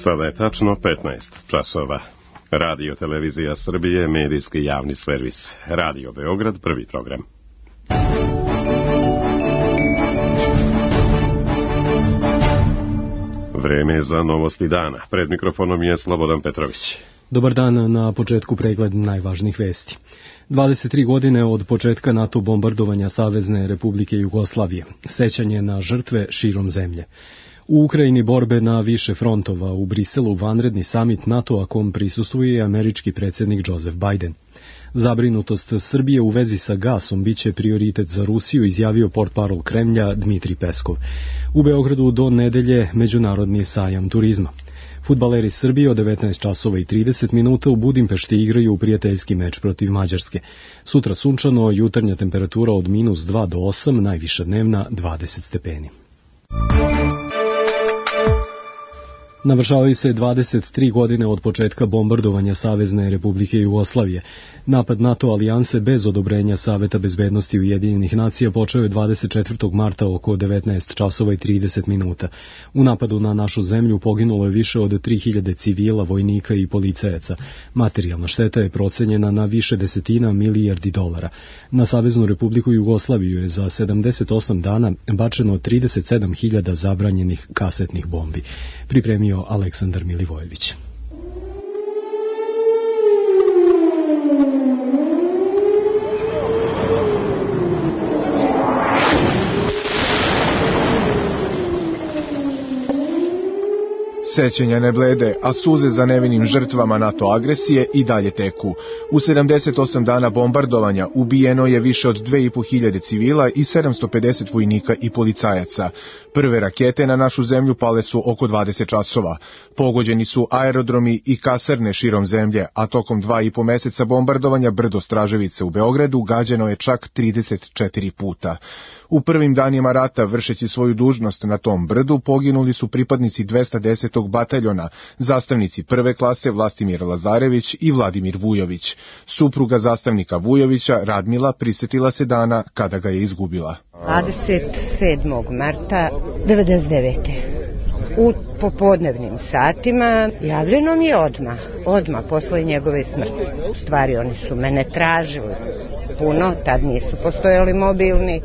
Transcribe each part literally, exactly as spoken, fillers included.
Sada je tačno petnaest časova. Radio Televizija Srbije, medijski javni servis. Radio Beograd, prvi program. Vreme za novosti dana. Pred mikrofonom je Slobodan Petrović. Dobar dan, na početku pregled najvažnijih vesti. dvadeset tri godine od početka NATO bombardovanja Savezne Republike Jugoslavije. Sećanje na žrtve širom zemlje. U Ukrajini borbe na više frontova, u Briselu vanredni samit NATO-a kom prisustvuje i američki predsjednik Joseph Biden. Zabrinutost Srbije u vezi sa gasom biće prioritet za Rusiju, izjavio portparol Kremlja Dmitrij Peskov. U Beogradu do nedelje međunarodni sajam turizma. Fudbaleri Srbije od devetnaest časova i trideset minuta u Budimpešti igraju prijateljski meč protiv Mađarske. Sutra sunčano, jutarnja temperatura od minus dva do osam, najviša dnevna dvadeset stepeni. Navršavaju se dvadeset tri godine od početka bombardovanja Savezne Republike Jugoslavije. Napad NATO alijanse bez odobrenja Saveta bezbednosti Ujedinjenih nacija počeo je dvadeset četvrtog marta oko devetnaest časova i trideset minuta. U napadu na našu zemlju poginulo je više od tri hiljade civila, vojnika i policajaca. Materijalna šteta je procenjena na više desetina milijardi dolara. Na Saveznu Republiku Jugoslaviju je za sedamdeset osam dana bačeno trideset sedam hiljada zabranjenih kasetnih bombi. Pripremio Aleksandar Milivojević. Sećanja ne blede, a suze za nevinim žrtvama NATO agresije i dalje teku. U sedamdeset osam dana bombardovanja ubijeno je više od dve i po hiljade civila i sedamsto pedeset vojnika i policajaca. Prve rakete na našu zemlju pale su oko dvadeset časova. Pogođeni su aerodromi i kasarne širom zemlje, a tokom dva i po meseca bombardovanja brdo Straževice u Beogradu gađano je čak trideset četiri puta. U prvim danima rata, vršeći svoju dužnost na tom brdu, poginuli su pripadnici dvesta desetog bataljona, zastavnici prve klase Vlastimir Lazarević i Vladimir Vujović. Supruga zastavnika Vujovića, Radmila, prisetila se dana kada ga je izgubila. dvadeset sedmog marta devedeset devete U popodnevnim satima javljeno mi je odmah, odmah posle njegove smrti. U stvari oni su mene tražili puno, tad nisu postojali mobilni,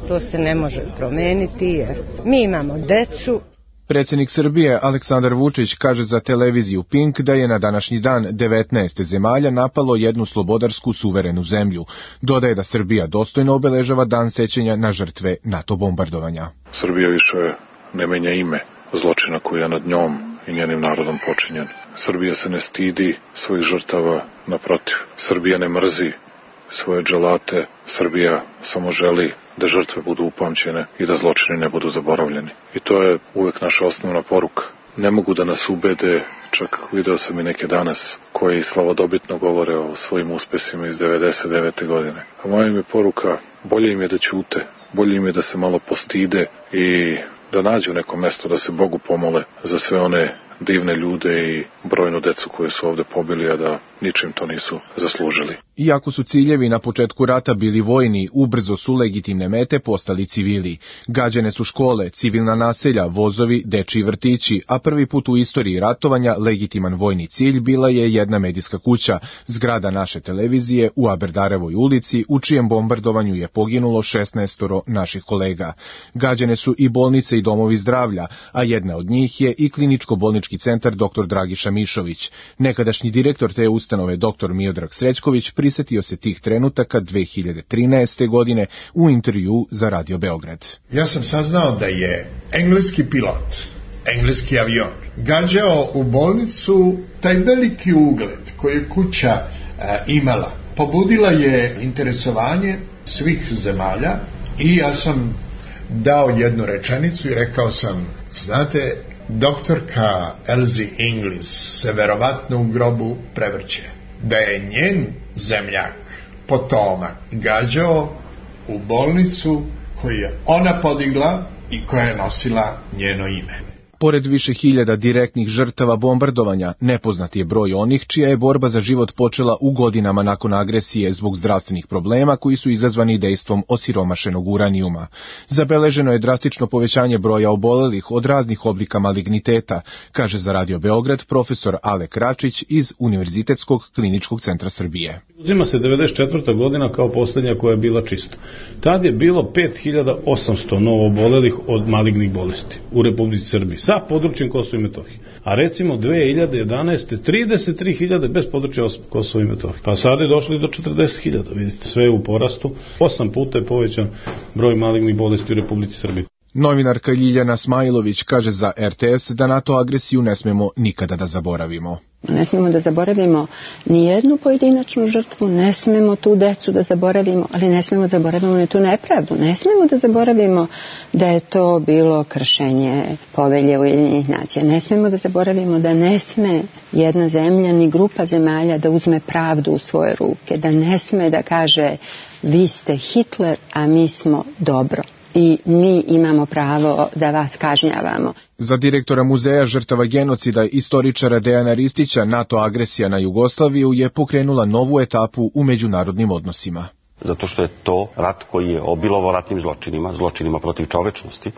to se ne može promeniti jer mi imamo decu. Predsjednik Srbije Aleksandar Vučić kaže za televiziju Pink da je na današnji dan devetnaest zemalja napalo jednu slobodarsku suverenu zemlju. Dodaje da Srbija dostojno obeležava dan sećanja na žrtve NATO bombardovanja. Srbija više ne menja ime zločina koji je nad njom i njenim narodom počinjen. Srbija se ne stidi svojih žrtava, naprotiv. Srbija ne mrzi svoje dželate, Srbija samo želi da žrtve budu upamćene i da zločini ne budu zaboravljeni. I to je uvek naša osnovna poruka. Ne mogu da nas ubede, čak video sam i neke danas, koji slavodobitno govore o svojim uspesima iz devedeset devete godine. A moja im je poruka, bolje im je da ćute, bolje im je da se malo postide i da nađu neko mesto da se Bogu pomole za sve one divne ljude i brojnu decu koje su ovde pobili, a da ničim to nisu zaslužili. Iako su ciljevi na početku rata bili vojni, ubrzo su legitimne mete postali civili. Gađane su škole, civilna naselja, vozovi, dečiji vrtići, a prvi put u istoriji ratovanja legitiman vojni cilj bila je jedna medijska kuća, zgrada naše televizije u Aberdarevoj ulici, u čijem bombardovanju je poginulo šesnaestoro naših kolega. Gađane su i bolnice i domovi zdravlja, a jedna od njih je i kliničko-bolnički centar doktor Dragiša Mišović. Nekadašnji direktor te ustanove doktor Miodrag Srećković prisetio se tih trenutaka dve hiljade trinaeste. godine u intervju za Radio Beograd. Ja sam saznao da je engleski pilot, engleski avion, gađao u bolnicu. Taj veliki ugled koji je kuća a, imala pobudila je interesovanje svih zemalja i ja sam dao jednu rečenicu i rekao sam, znate, doktorka Elsie Inglis se verovatno u grobu prevrće. Da je njen zemljak, potomak, gađao u bolnicu koju je ona podigla i koja je nosila njeno ime. Pored više hiljada direktnih žrtava bombardovanja, nepoznat je broj onih čija je borba za život počela u godinama nakon agresije zbog zdravstvenih problema koji su izazvani dejstvom osiromašenog uranijuma. Zabeleženo je drastično povećanje broja obolelih od raznih oblika maligniteta, kaže za Radio Beograd profesor Alek Račić iz Univerzitetskog kliničkog centra Srbije. Uzima se devedeset četvrta godina kao posljednja koja je bila čista. Tad je bilo pet hiljada osamsto novoobolelih od malignih bolesti u Republici Srbiji sa područjem Kosova i Metohije. A recimo dve hiljade jedanaeste. trideset tri hiljade bez područja Kosova i Metohije. Pa sad je došli do četrdeset hiljada. Vidite, sve je u porastu. Osam puta je povećan broj malignih bolesti u Republici Srbiji. Novinarka Ljiljana Smajlović kaže za R T S da NATO agresiju ne smemo nikada da zaboravimo. Ne smemo da zaboravimo ni jednu pojedinačnu žrtvu, ne smemo tu decu da zaboravimo, ali ne smemo da zaboravimo ni tu nepravdu. Ne smemo da zaboravimo da je to bilo kršenje povelje Ujedinjenih nacija. Ne smemo da zaboravimo da ne sme jedna zemlja ni grupa zemalja da uzme pravdu u svoje ruke, da ne sme da kaže vi ste Hitler, a mi smo dobro. I mi imamo pravo da vas kažnjavamo. Za direktora Muzeja žrtava genocida istoričara Dejana Ristića, NATO agresija na Jugoslaviju je pokrenula novu etapu u međunarodnim odnosima. Zato što je to rat koji je obilovao ratnim zločinima, zločinima protiv čovečnosti,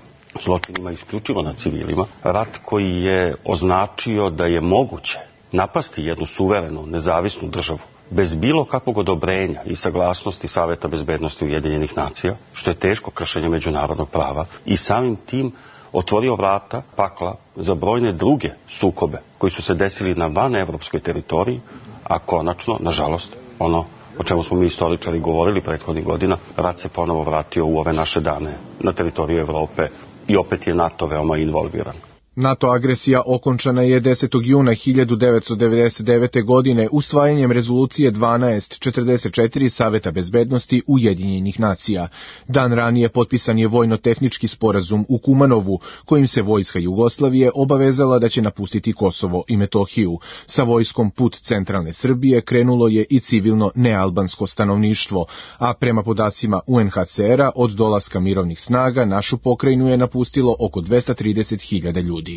zločinima isključivo na civilima, rat koji je označio da je moguće napasti jednu suverenu, nezavisnu državu bez bilo kakvog odobrenja i saglasnosti Saveta bezbednosti Ujedinjenih nacija, što je teško kršenje međunarodnog prava, i samim tim otvorio vrata pakla za brojne druge sukobe koji su se desili na vanevropskoj teritoriji, a konačno, nažalost, ono o čemu smo mi istoričari govorili prethodnih godina, rat se ponovo vratio u ove naše dane na teritoriju Evrope i opet je NATO veoma involviran. NATO agresija okončana je desetog juna hiljadu devetsto devedeset devete. godine usvajanjem rezolucije dvanaest četrdeset četiri Saveta bezbednosti Ujedinjenih nacija. Dan ranije potpisan je vojno-tehnički sporazum u Kumanovu, kojim se vojska Jugoslavije obavezala da će napustiti Kosovo i Metohiju. Sa vojskom put centralne Srbije krenulo je i civilno nealbansko stanovništvo, a prema podacima U N H C R-a od dolaska mirovnih snaga našu pokrajinu je napustilo oko dvesta trideset hiljada ljudi.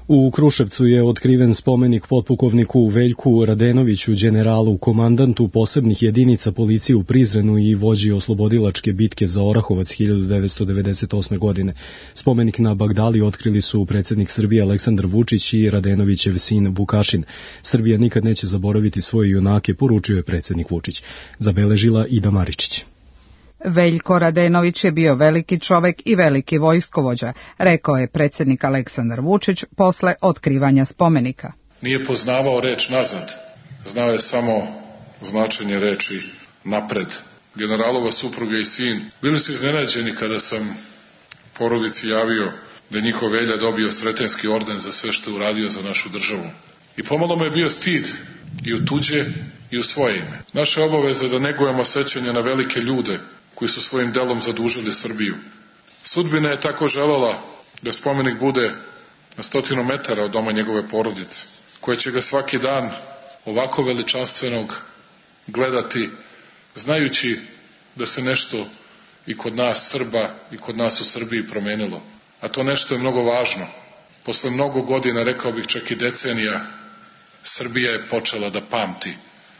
U Kruševcu je otkriven spomenik potpukovniku Veljku Radenoviću, generalu, komandantu posebnih jedinica policije u Prizrenu i vođi oslobodilačke bitke za Orahovac hiljadu devetsto devedeset osme. godine. Spomenik na Bagdali otkrili su predsjednik Srbije Aleksandar Vučić i Radenovićev sin Vukašin. Srbija nikad neće zaboraviti svoje junake, poručio je predsjednik Vučić. Zabeležila Ida Maričić. Veljko Radenović je bio veliki čovek i veliki vojskovođa, rekao je predsjednik Aleksandar Vučić posle otkrivanja spomenika. Nije poznavao reč nazad, znao je samo značenje reči napred. Generalova supruga i sin bili su iznenađeni kada sam porodici javio da je njihov Velja dobio Sretenski orden za sve što je uradio za našu državu. I pomalo me je bio stid i u tuđe i u svoje ime. Naša obaveza je da negujemo sećanje na velike ljude koji su svojim delom zadužili Srbiju. Sudbina je tako želela da spomenik bude na stotinu metara od doma njegove porodice, koja će ga svaki dan ovako veličanstvenog gledati, znajući da se nešto i kod nas Srba i kod nas u Srbiji promenilo. A to nešto je mnogo važno. Posle mnogo godina, rekao bih čak i decenija, Srbija je počela da pamti.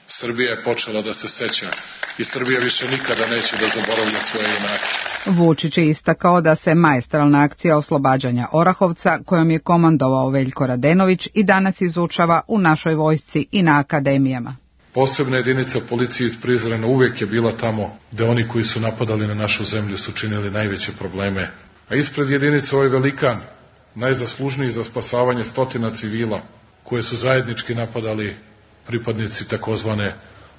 Srbija je počela da se seća i Srbija više nikada neće da zaboravlja svoje junake. Vučić je istakao da se maestralna akcija oslobađanja Orahovca, kojom je komandovao Veljko Radenović, i danas izučava u našoj vojsci i na akademijama. Posebna jedinica policije iz Prizrena uvek je bila tamo gde oni koji su napadali na našu zemlju su činili najveće probleme. A ispred jedinice ovaj velikan, najzaslužniji za spasavanje stotina civila, koje su zajednički napadali pripadnici takozvane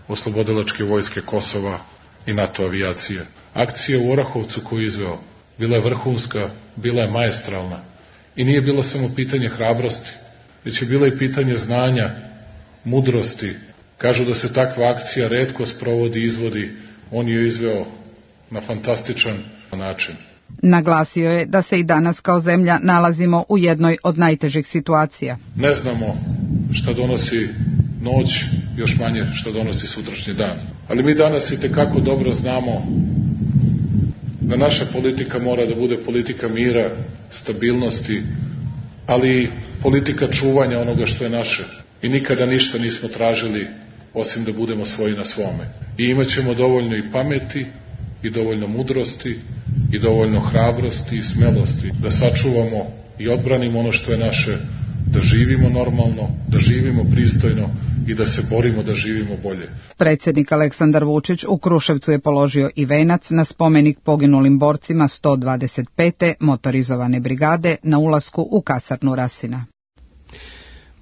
oslobodilačke vojske Kosova i NATO avijacije. Akcija u Orahovcu koju je izveo bila je vrhunska, bila je maestralna i nije bilo samo pitanje hrabrosti, već je bilo i pitanje znanja, mudrosti. Kažu da se takva akcija retko sprovodi i izvodi, on je izveo na fantastičan način. Naglasio je da se i danas kao zemlja nalazimo u jednoj od najtežih situacija. Ne znamo šta donosi noć, još manje šta donosi sutrašnji dan. Ali mi danas i tekako dobro znamo da naša politika mora da bude politika mira, stabilnosti ali politika čuvanja onoga što je naše. I nikada ništa nismo tražili osim da budemo svoji na svome. I imat ćemo dovoljno i pameti, i dovoljno mudrosti, i dovoljno hrabrosti i smelosti da sačuvamo i odbranimo ono što je naše, da živimo normalno, da živimo pristojno i da se borimo da živimo bolje. Predsjednik Aleksandar Vučić u Kruševcu je položio i venac na spomenik poginulim borcima sto dvadeset pete motorizovane brigade na ulasku u kasarnu Rasina.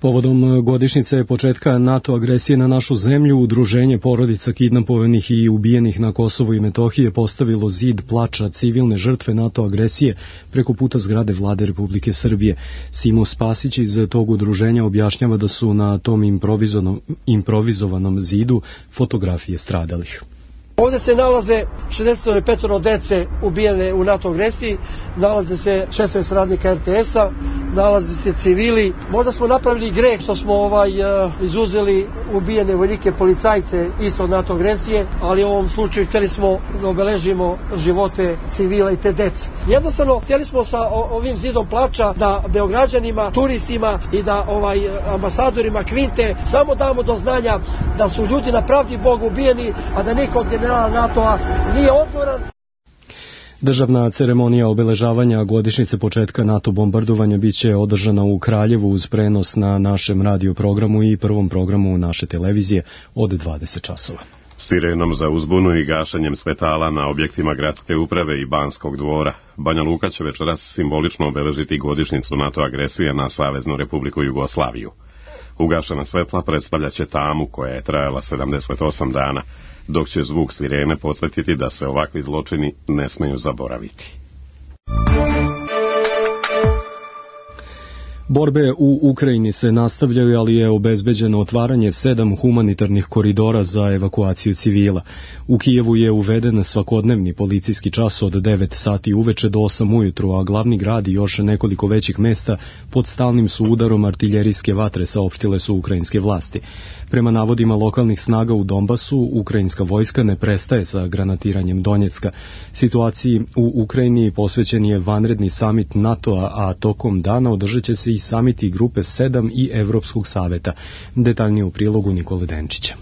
Povodom godišnjice početka NATO agresije na našu zemlju, Udruženje porodica kidnapovanih i ubijenih na Kosovu i Metohiji je postavilo zid plača civilne žrtve NATO agresije preko puta zgrade Vlade Republike Srbije. Simo Spasić iz tog udruženja objašnjava da su na tom improvizovanom, improvizovanom zidu fotografije stradalih. Ovdje se nalaze šezdeset pet dece ubijene u NATO agresiji, nalaze se šesnaest radnika er te es-a, nalaze se civili. Možda smo napravili greh što smo ovaj izuzeli ubijene vojnike, policajce isto od NATO agresije, ali u ovom slučaju htjeli smo da obeležimo živote civila i te dece. Jednostavno htjeli smo sa ovim zidom plača da Beograđanima, turistima i da ovaj ambasadorima Kvinte samo damo do znanja da su ljudi na pravdi Boga ubijeni, a da niko od generala NATO-a nije odgovoran. Državna ceremonija obeležavanja godišnjice početka NATO bombardovanja biće održana u Kraljevu uz prenos na našem radio programu i prvom programu naše televizije od dvadeset časova. Sirenom za uzbunu i gašenjem svetala na objektima gradske uprave i Banskog dvora, Banja Luka će večeras simbolično obeležiti godišnjicu NATO agresije na Saveznu Republiku Jugoslaviju. Ugašena svetla predstavljaće tamu koja je trajala sedamdeset osam dana, dok će zvuk sirene podsjetiti da se ovakvi zločini ne smeju zaboraviti. Borbe u Ukrajini se nastavljaju, ali je obezbeđeno otvaranje sedam humanitarnih koridora za evakuaciju civila. U Kijevu je uveden svakodnevni policijski čas od devet sati uveče do osam ujutru, a glavni grad i još nekoliko većih mesta pod stalnim su udarom artiljerijske vatre, saopštile su ukrajinske vlasti. Prema navodima lokalnih snaga u Donbasu, ukrajinska vojska ne prestaje sa granatiranjem Donjecka. Situaciji u Ukrajini posvećen je vanredni samit NATO-a, a tokom dana održat će se i samiti grupe sedam i Evropskog saveta. Detaljnije u prilogu Nikole Denčića.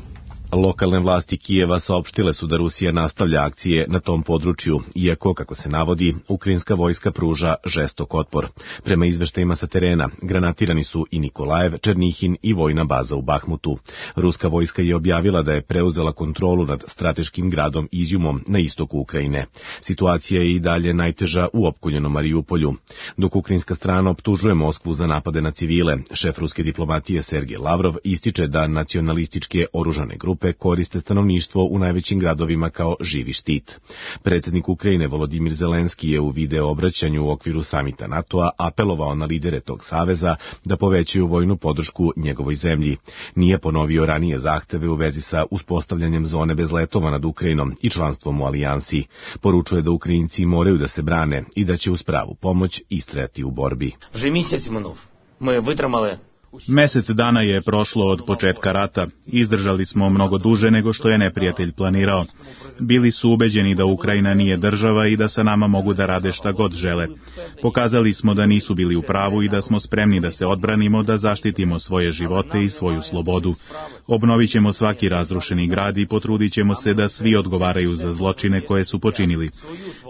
Lokalne vlasti Kijeva saopštile su da Rusija nastavlja akcije na tom području, iako, kako se navodi, ukrajinska vojska pruža žestok otpor. Prema izveštajima sa terena, granatirani su i Nikolajev, Černihin i vojna baza u Bahmutu. Ruska vojska je objavila da je preuzela kontrolu nad strateškim gradom Izjumom na istoku Ukrajine. Situacija je i dalje najteža u opkoljenom Mariupolju. Dok ukrajinska strana optužuje Moskvu za napade na civile, šef ruske diplomatije Sergej Lavrov ističe da nacionalističke oružane grupe koriste stanovništvo u najvećim gradovima kao živi štit. Predsjednik Ukrajine Volodimir Zelenski je u video obraćanju u okviru samita NATO-a apelovao na lidere tog saveza da povećaju vojnu podršku njegovoj zemlji. Nije ponovio ranije zahteve u vezi sa uspostavljanjem zone bez letova nad Ukrajinom i članstvom u alijansi. Poručuje da Ukrajinci moraju da se brane i da će uz pravu pomoć istrajati u borbi. Вже місяць минув. Ми витримали. Mesec dana je prošlo od početka rata. Izdržali smo mnogo duže nego što je neprijatelj planirao. Bili su ubeđeni da Ukrajina nije država i da sa nama mogu da rade šta god žele. Pokazali smo da nisu bili u pravu i da smo spremni da se odbranimo, da zaštitimo svoje živote i svoju slobodu. Obnovit ćemo svaki razrušeni grad i potrudit ćemo se da svi odgovaraju za zločine koje su počinili.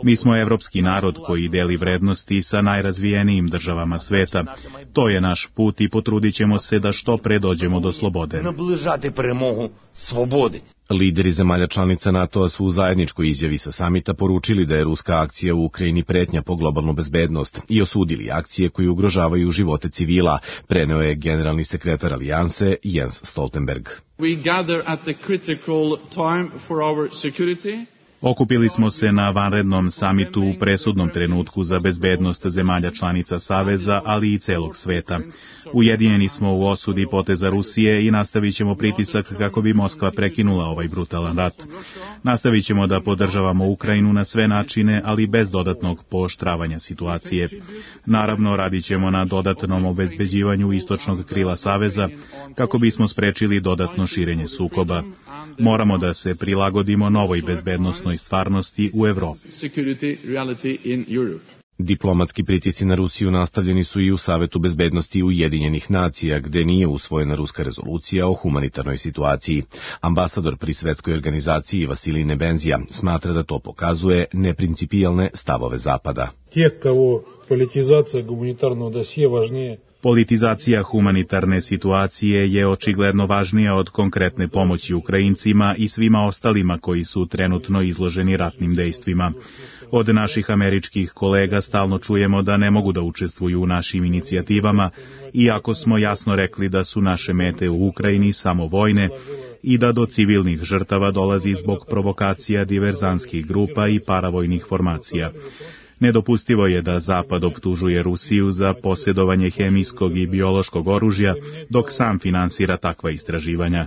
Mi smo evropski narod koji deli vrednosti sa najrazvijenijim državama sveta. To je naš put i potrudit ćemo se da što pre dođemo do slobode. Наближати перемогу свободи. Lideri zemalja članica NATO-a su u zajedničkoj izjavi sa samita poručili da je ruska akcija u Ukrajini pretnja po globalnu bezbednost i osudili akcije koje ugrožavaju živote civila, preneo je generalni sekretar alijanse Jens Stoltenberg. We gather at the critical time for our security. Okupili smo se na vanrednom samitu u presudnom trenutku za bezbednost zemalja članica Saveza, ali i celog sveta. Ujedinjeni smo u osudi poteza Rusije i nastavit ćemo pritisak kako bi Moskva prekinula ovaj brutalan rat. Nastavit ćemo da podržavamo Ukrajinu na sve načine, ali bez dodatnog pooštravanja situacije. Naravno, radit ćemo na dodatnom obezbeđivanju istočnog krila Saveza kako bismo sprečili dodatno širenje sukoba. Moramo da se prilagodimo novoj bezbednosnoj stvarnosti u Evropi. Diplomatski pritisci na Rusiju nastavljeni su i u Savetu bezbednosti Ujedinjenih nacija, gde nije usvojena ruska rezolucija o humanitarnoj situaciji. Ambasador pri svetskoj organizaciji Vasilij Nebenzija smatra da to pokazuje neprincipijalne stavove Zapada. Тех, кого политизация гуманитарного досье важнее. Politizacija humanitarne situacije je očigledno važnija od konkretne pomoći Ukrajincima i svima ostalima koji su trenutno izloženi ratnim dejstvima. Od naših američkih kolega stalno čujemo da ne mogu da učestvuju u našim inicijativama, iako smo jasno rekli da su naše mete u Ukrajini samo vojne i da do civilnih žrtava dolazi zbog provokacija diverzantskih grupa i paravojnih formacija. Nedopustivo je da Zapad optužuje Rusiju za posjedovanje hemijskog i biološkog oružja, dok sam finansira takva istraživanja.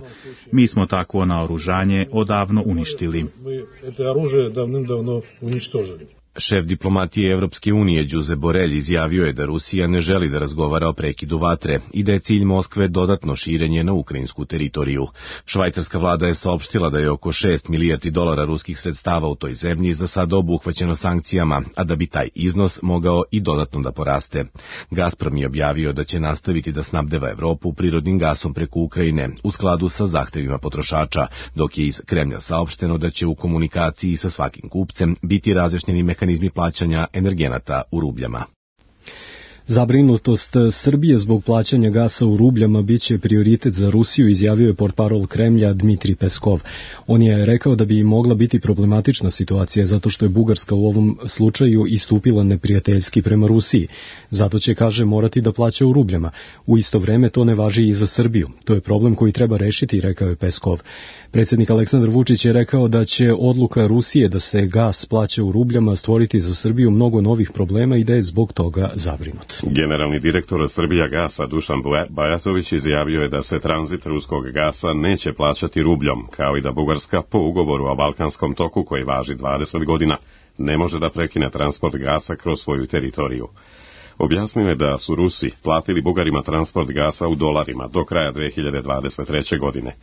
Mi smo takvo naoružanje odavno uništili. Šef diplomatije Evropske unije Đuze Borelj izjavio je da Rusija ne želi da razgovara o prekidu vatre i da je cilj Moskve dodatno širenje na ukrajinsku teritoriju. Švajcarska vlada je saopštila da je oko šest milijardi dolara ruskih sredstava u toj zemlji za sada obuhvaćeno sankcijama, a da bi taj iznos mogao i dodatno da poraste. Gazprom je objavio da će nastaviti da snabdeva Evropu prirodnim gasom preko Ukrajine u skladu sa zahtevima potrošača, dok je iz Kremlja saopšteno da će u komunikaciji sa svakim kupcem biti razjašnjeni mehanizmi mehanizmi plaćanja energenata u rubljama. Zabrinutost Srbije zbog plaćanja gasa u rubljama biće prioritet za Rusiju, izjavio je portparol Kremlja Dmitrij Peskov. On je rekao da bi mogla biti problematična situacija zato što je Bugarska u ovom slučaju istupila neprijateljski prema Rusiji. Zato će, kaže, morati da plaća u rubljama. U isto vreme to ne važi i za Srbiju. To je problem koji treba rešiti, rekao je Peskov. Predsjednik Aleksandar Vučić je rekao da će odluka Rusije da se gas plaća u rubljama stvoriti za Srbiju mnogo novih problema i da je zbog toga zabrinut. Generalni direktor Srbija gasa Dušan Bajatović izjavio je da se tranzit ruskog gasa neće plaćati rubljom, kao i da Bugarska po ugovoru o Balkanskom toku koji važi dvadeset godina ne može da prekine transport gasa kroz svoju teritoriju. Objasnio je da su Rusi platili Bugarima transport gasa u dolarima do kraja dve hiljade dvadeset treće. godine.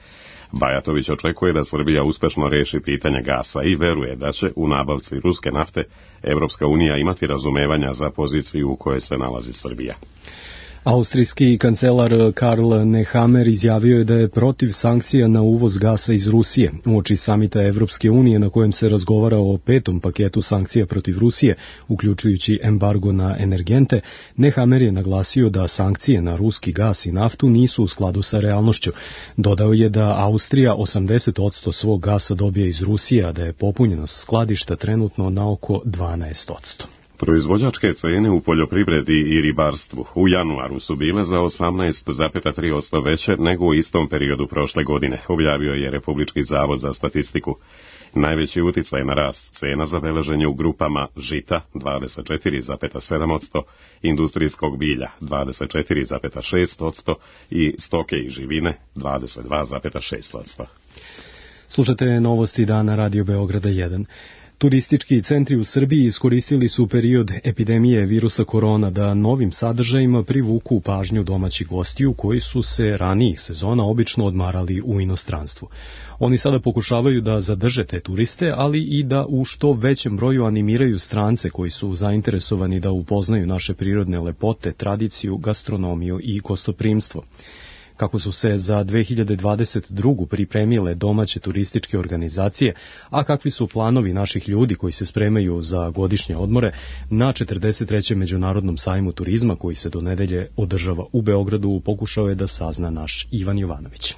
Bajatović očekuje da Srbija uspešno reši pitanje gasa i veruje da će u nabavci ruske nafte Evropska unija imati razumevanja za poziciju u kojoj se nalazi Srbija. Austrijski kancelar Karl Nehammer izjavio je da je protiv sankcija na uvoz gasa iz Rusije. Uoči samita Evropske unije na kojem se razgovara o petom paketu sankcija protiv Rusije, uključujući embargo na energente, Nehammer je naglasio da sankcije na ruski gas i naftu nisu u skladu sa realnošću. Dodao je da Austrija osamdeset posto svog gasa dobija iz Rusije, a da je popunjenost skladišta trenutno na oko dvanaest posto. Proizvođačke cene u poljoprivredi i ribarstvu u januaru su bile za osamnaest zarez tri posto veće nego u istom periodu prošle godine, objavio je Republički zavod za statistiku. Najveći uticaj na rast cena zabeležen je u grupama žita dvadeset četiri zarez sedam posto, industrijskog bilja dvadeset četiri zarez šest posto i stoke i živine dvadeset dva zarez šest posto. Slušate novosti dana Radio Beograda jedan. Turistički centri u Srbiji iskoristili su period epidemije virusa korona da novim sadržajima privuku pažnju domaćih gostiju koji su se ranijih sezona obično odmarali u inostranstvu. Oni sada pokušavaju da zadrže te turiste, ali i da u što većem broju animiraju strance koji su zainteresovani da upoznaju naše prirodne lepote, tradiciju, gastronomiju i gostoprimstvo. Kako su se za dve hiljade dvadeset drugu. pripremile domaće turističke organizacije, a kakvi su planovi naših ljudi koji se spremaju za godišnje odmore na četrdeset trećem Međunarodnom sajmu turizma koji se do nedelje održava u Beogradu, pokušao je da sazna naš Ivan Jovanović.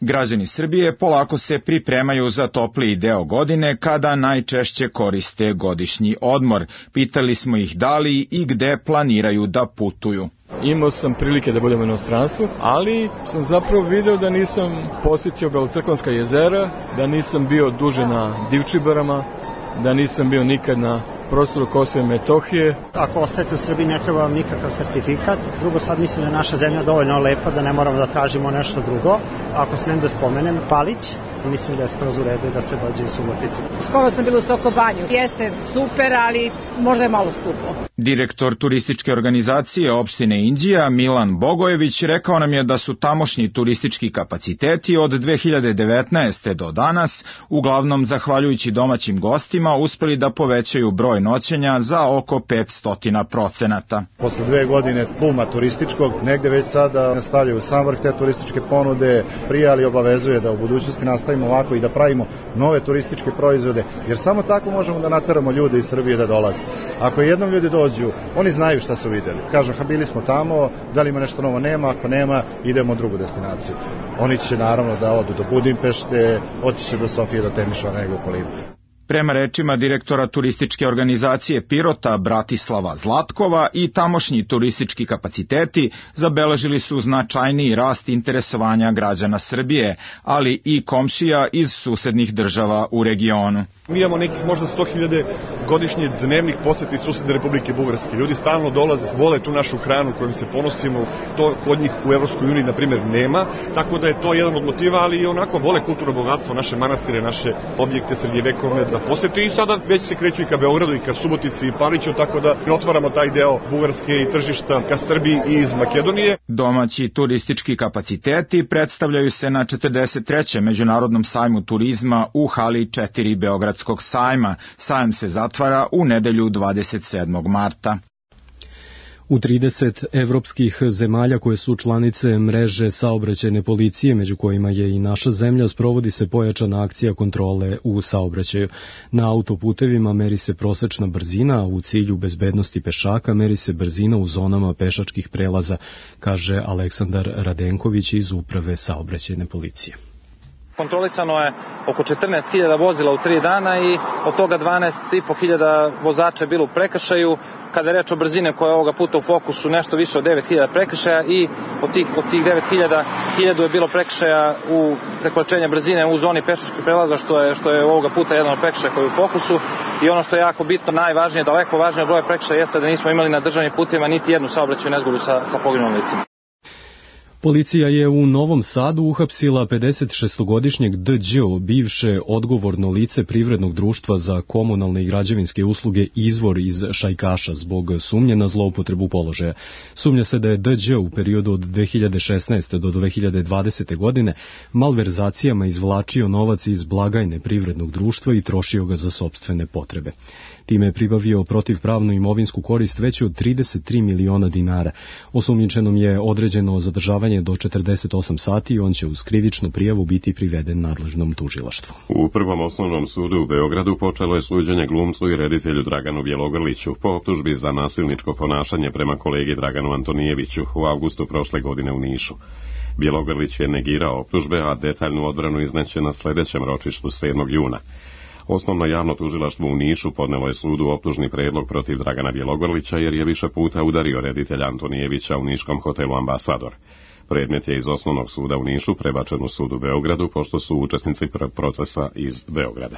Građani Srbije polako se pripremaju za topliji deo godine kada najčešće koriste godišnji odmor. Pitali smo ih da li i gde planiraju da putuju. Imao sam prilike da budem u inostranstvu, ali sam zapravo video da nisam posjetio Belocrkvanska jezera, da nisam bio duže na Divčibarama, da nisam bio nikad na prostoru Kosova i Metohije. Ako ostajete u Srbiji ne treba vam nikakav sertifikat. Drugo, sad mislim da je naša zemlja dovoljno lepa da ne moramo da tražimo nešto drugo. Ako smem da spomenem, Palić mislim da je skroz u redu da se dođe u Subotici. Skoro sam bila u Sokobanju. Jeste super, ali možda je malo skupo. Direktor turističke organizacije opštine Inđija Milan Bogojević rekao nam je da su tamošnji turistički kapaciteti od dve hiljade devetnaeste. do danas, uglavnom zahvaljujući domaćim gostima, uspeli da povećaju broj noćenja za oko petsto procenata. Posle dve godine buma turističkog, negde već sada nastavljaju sam vrh te turističke ponude, prijali obavezuje da u budućnosti nastavimo ovako i da pravimo nove turističke proizvode, jer samo tako možemo da nateramo ljude iz Srbije da dolaze. Ako jednom ljudi dođu, oni znaju šta su videli. Kažu, ha, bili smo tamo, da li ima nešto novo, nema, ako nema, idemo u drugu destinaciju. Oni će naravno da odu do Budimpešte, oći će do Sofije, do Temišvara, nego u Polivu. Prema rečima direktora turističke organizacije Pirota Bratislava Zlatkova, i tamošnji turistički kapaciteti zabeležili su značajniji rast interesovanja građana Srbije, ali i komšija iz susednih država u regionu. Mi imamo nekih možda sto hiljada godišnje dnevnih poseti susedne Republike Bugarske. Ljudi stalno dolaze, vole tu našu hranu kojom se ponosimo, to kod njih u Evropskoj uniji, na primjer, nema, tako da je to jedan od motiva, ali i onako vole kulturno bogatstvo, naše manastire, naše objekte srednjevekovne da posete, i sada već se kreću i ka Beogradu i ka Subotici i Paliću, tako da otvaramo taj deo Bugarske i tržišta ka Srbiji i iz Makedonije. Domaći turistički kapaciteti predstavljaju se na četrdeset trećem Međunarodnom sajmu turizma u hali četiri Beogradskog sajma. Sajam se zatvara u nedelju dvadeset sedmog marta. U trideset evropskih zemalja koje su članice mreže saobraćajne policije, među kojima je i naša zemlja, sprovodi se pojačana akcija kontrole u saobraćaju. Na autoputevima meri se prosečna brzina, a u cilju bezbednosti pešaka meri se brzina u zonama pešačkih prelaza, kaže Aleksandar Radenković iz Uprave saobraćajne policije. Kontrolisano je oko četrnaest hiljada vozila u tri dana i od toga dvanaest i po hiljada vozača je bilo u prekršaju. Kada je reč o brzine koja je ovoga puta u fokusu, nešto više od devet hiljada prekršaja, i od tih, od tih devet hiljada, hiljadu je bilo prekršaja u prekoračenja brzine u zoni pešačkih prelaza, što je, što je ovoga puta jedan od prekršaja koji je u fokusu. I ono što je jako bitno, najvažnije, daleko važnije broj prekršaja jeste da nismo imali na državnim putevima niti jednu saobraćajnu nezgodu sa, sa poginulim licima. Policija je u Novom Sadu uhapsila pedesetšestogodišnjeg D Đ, bivše odgovorno lice privrednog društva za komunalne i građevinske usluge Izvor iz Šajkaša, zbog sumnje na zloupotrebu položaja. Sumnja se da je D Đ u periodu od dve hiljade šesnaeste. do dve hiljade dvadesete. godine malverzacijama izvlačio novac iz blagajne privrednog društva i trošio ga za sopstvene potrebe. Time je pribavio protivpravnu imovinsku korist veću od trideset tri miliona dinara. Osumnjičenom je određeno zadržavanje do četrdeset osam sati i on će uz krivičnu prijavu biti priveden nadležnom tužilaštvu. U Prvom osnovnom sudu u Beogradu počelo je suđenje glumcu i reditelju Draganu Bjelogrliću po optužbi za nasilničko ponašanje prema kolegi Draganu Antonijeviću u avgustu prošle godine u Nišu. Bjelogrlić je negirao optužbe, a detaljnu odbranu izneće na sledećem ročištu sedmog juna. Osnovno javno tužilaštvo u Nišu podnelo je sudu optužni predlog protiv Dragana Bjelogrlića jer je više puta udario reditelja Antonijevića u niškom hotelu Ambasador. Predmet je iz osnovnog suda u Nišu prebačen u sud u Beogradu, pošto su učesnici procesa iz Beograda.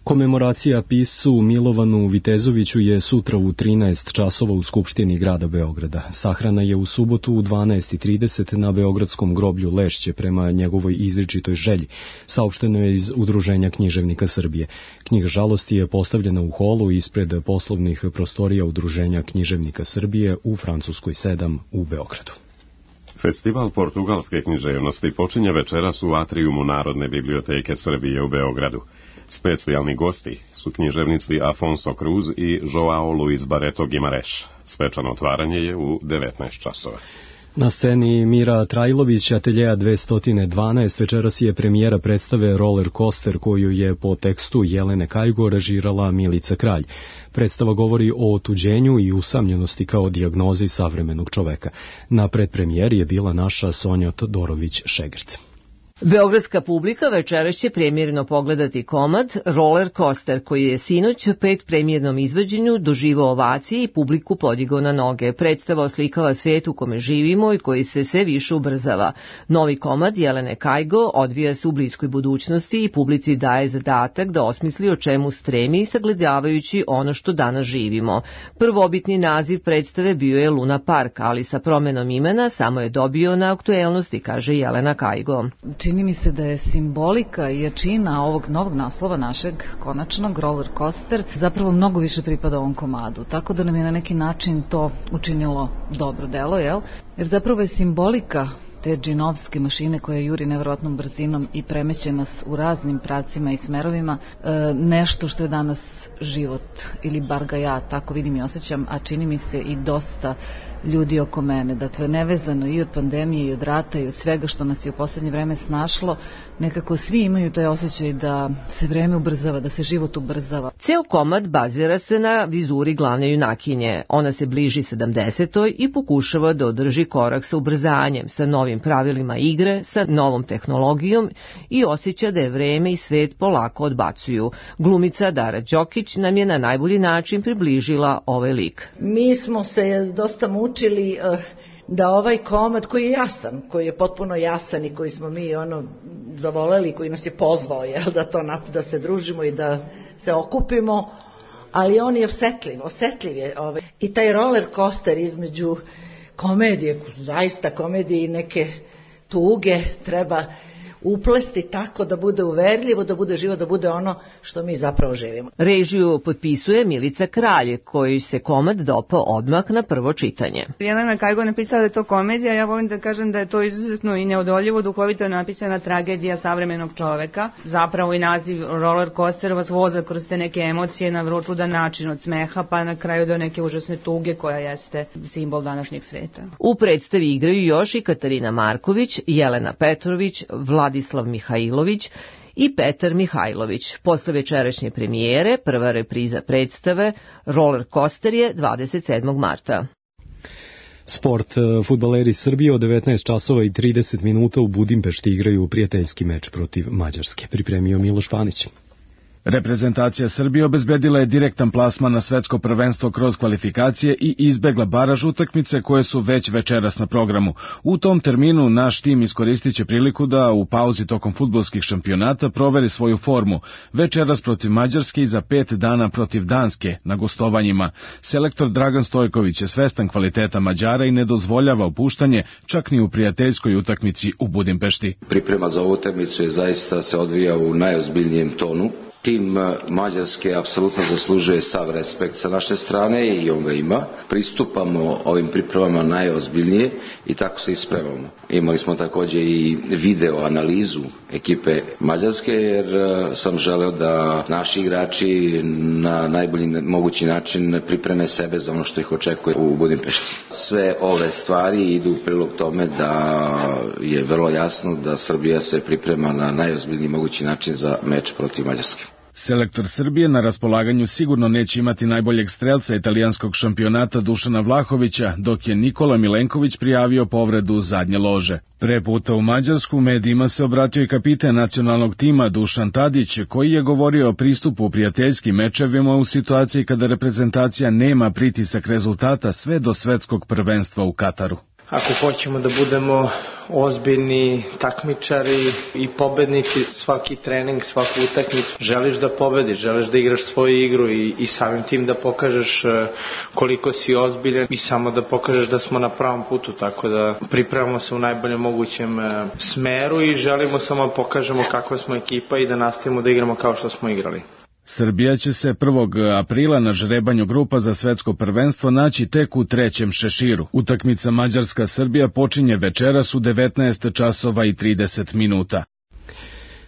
Komemoracija piscu Milovanu Vitezoviću je sutra u trinaest časova u Skupštini grada Beograda. Sahrana je u subotu u dvanaest i trideset na Beogradskom groblju Lešće prema njegovoj izričitoj želji. Saopšteno je iz Udruženja književnika Srbije. Knjiga žalosti je postavljena u holu ispred poslovnih prostorija Udruženja književnika Srbije u Francuskoj sedam u Beogradu. Festival portugalske književnosti počinje večeras u atrijumu Narodne biblioteke Srbije u Beogradu. Specijalni gosti su književnici Afonso Cruz i Joao Luis Barreto Guimarães. Svečano otvaranje je u devetnaest časova. Na sceni Mira Trajlović, ateljeja dvesta dvanaest, večeras je premijera predstave Roller Coaster, koju je po tekstu Jelene Kajgo režirala Milica Kralj. Predstava govori o otuđenju i usamljenosti kao dijagnozi savremenog čoveka. Na predpremijeri je bila naša Sonja Todorović-Šegrt. Beogradska publika večeras će premijerno pogledati komad Roller Coaster, koji je sinoć pet premijernom izvođenju doživao ovacije i publiku podigao na noge. Predstava oslikava svijet u kome živimo i koji se sve više ubrzava. Novi komad Jelene Kajgo odvija se u bliskoj budućnosti i publici daje zadatak da osmisli o čemu stremi sagledavajući ono što danas živimo. Prvobitni naziv predstave bio je Luna Park, ali sa promenom imena samo je dobio na aktuelnosti, kaže Jelena Kajgo. Čini mi se da je simbolika i jačina ovog novog naslova našeg konačnog Roller Coaster zapravo mnogo više pripada ovom komadu, tako da nam je na neki način to učinilo dobro delo, jel? Jer zapravo je simbolika te džinovske mašine koja juri nevjerovatnom brzinom i premeće nas u raznim pravcima i smerovima, e, nešto što je danas život, ili bar ga ja tako vidim i osjećam, a čini mi se i dosta ljudi oko mene. Dakle, nevezano i od pandemije i od rata i od svega što nas je u poslednje vreme snašlo, nekako svi imaju taj osjećaj da se vreme ubrzava, da se život ubrzava. Ceo komad bazira se na vizuri glavne junakinje. Ona se bliži sedamdesetoj i pokušava da održi korak sa ubrzanjem, sa novim pravilima igre, sa novom tehnologijom i osjeća da je vreme i svet polako odbacuju. Glumica Dara Đokić nam je na najbolji način približila ovaj lik. Mi smo se dosta mučili uh, da ovaj komad koji je jasan, koji je potpuno jasan i koji smo mi ono zavoleli, koji nas je pozvao, jel, da to da se družimo i da se okupimo, ali on je osetljiv, osetljiv je ovaj. I taj roller coaster između komedije, zaista komedije i neke tuge treba uplesti tako da bude uverljivo, da bude živo, da bude ono što mi zapravo živimo. Režiju potpisuje Milica Kralj, koji se komad dopao odmah na prvo čitanje. Jelena Kajgo napisala da je to komedija, ja volim da kažem da je to izuzetno i neodoljivo, duhovito napisana tragedija savremenog čoveka. Zapravo i naziv roller coaster vas voza kroz te neke emocije na vrlo čudan način, od smeha pa na kraju do neke užasne tuge koja jeste simbol današnjeg sveta. U predstavi igraju još i Katarina Marković, Jelena Petrović, Vlad Vladislav Mihajlović i Petar Mihajlović. Posle večerašnje premijere, prva repriza predstave Roller Coaster je dvadeset sedmog marta. Sport. Fudbaleri Srbije od devetnaest časova i trideset minuta u Budimpešti igraju prijateljski meč protiv Mađarske. Pripremio Miloš Panić. Reprezentacija Srbije obezbedila je direktan plasman na svetsko prvenstvo kroz kvalifikacije i izbegla baraž utakmice koje su već večeras na programu. U tom terminu naš tim iskoristit će priliku da u pauzi tokom fudbalskih šampionata proveri svoju formu. Večeras protiv Mađarske i za pet dana protiv Danske na gostovanjima. Selektor Dragan Stojković je svestan kvaliteta Mađara i ne dozvoljava opuštanje čak ni u prijateljskoj utakmici u Budimpešti. Priprema za ovu utakmicu je zaista se odvija u najozbiljnijem tonu. Tim Mađarske apsolutno zaslužuje sav respekt sa naše strane i on ga ima. Pristupamo ovim pripremama najozbiljnije i tako se i spremamo. Imali smo također i video analizu ekipe Mađarske jer sam želeo da naši igrači na najbolji mogući način pripreme sebe za ono što ih očekuje u Budimpešti. Sve ove stvari idu u prilog tome da je vrlo jasno da Srbija se priprema na najozbiljniji mogući način za meč protiv Mađarske. Selektor Srbije na raspolaganju sigurno neće imati najboljeg strelca italijanskog šampionata Dušana Vlahovića, dok je Nikola Milenković prijavio povredu zadnje lože. Pre puta u Mađarsku medijima se obratio i kapiten nacionalnog tima Dušan Tadić, koji je govorio o pristupu u prijateljskim mečevima u situaciji kada reprezentacija nema pritisak rezultata sve do svetskog prvenstva u Kataru. Ako hoćemo da budemo ozbiljni takmičari i pobednici, svaki trening, svaku utakmicu, želiš da pobediš, želiš da igraš svoju igru i, i samim tim da pokažeš koliko si ozbiljan i samo da pokažeš da smo na pravom putu, tako da pripremamo se u najboljem mogućem smeru i želimo samo da pokažemo kakva smo ekipa i da nastavimo da igramo kao što smo igrali. Srbija će se prvog aprila na žrebanju grupa za svetsko prvenstvo naći tek u trećem šeširu. Utakmica Mađarska-Srbija počinje večeras u devetnaest časova i trideset minuta.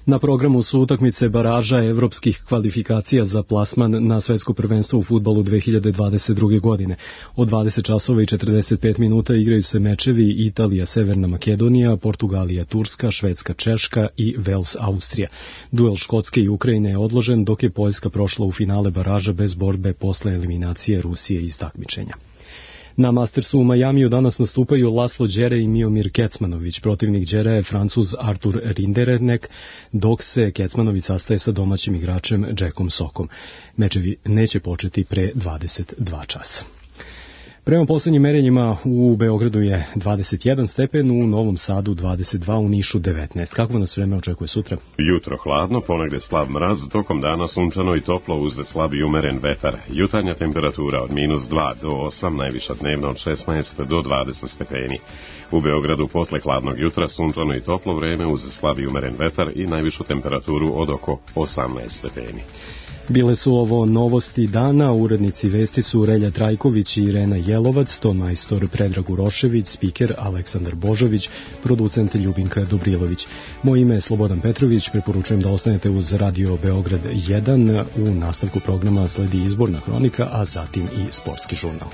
Na programu su utakmice baraža evropskih kvalifikacija za plasman na svetsko prvenstvo u fudbalu dve hiljade dvadeset druge. godine. Od dvadeset časova i četrdeset pet minuta igraju se mečevi Italija, Severna Makedonija, Portugalija, Turska, Švedska, Češka i Vels, Austrija. Duel Škotske i Ukrajine je odložen, dok je Poljska prošla u finale baraža bez borbe posle eliminacije Rusije iz takmičenja. Na Mastersu u Majamiju danas nastupaju Laslo Đere i Miomir Kecmanović. Protivnik Đere je Francuz Artur Rinderknecht, dok se Kecmanović sastaje sa domaćim igračem Jackom Sockom. Mečevi neće početi pre dvadeset dva časa. Prema poslednjim merenjima u Beogradu je dvadeset jedan stepen, u Novom Sadu dvadeset dva, u Nišu devetnaest. Kako nas vreme očekuje sutra? Jutro hladno, ponegde slab mraz, tokom dana sunčano i toplo uz slab i umeren vetar. Jutarnja temperatura od minus dva do osam, najviša dnevna od šesnaest do dvadeset stepeni. U Beogradu posle hladnog jutra sunčano i toplo vreme uz slab i umeren vetar i najvišu temperaturu od oko osamnaest stepeni. Bile su ovo novosti dana, urednici vesti su Relja Trajković i Irena Jelovac, ton majstor Predrag Urošević, spiker Aleksandar Božović, producent Ljubinka Dobrilović. Moje ime je Slobodan Petrović, preporučujem da ostanete uz Radio Beograd jedan, u nastavku programa sledi izborna hronika, a zatim i sportski žurnal.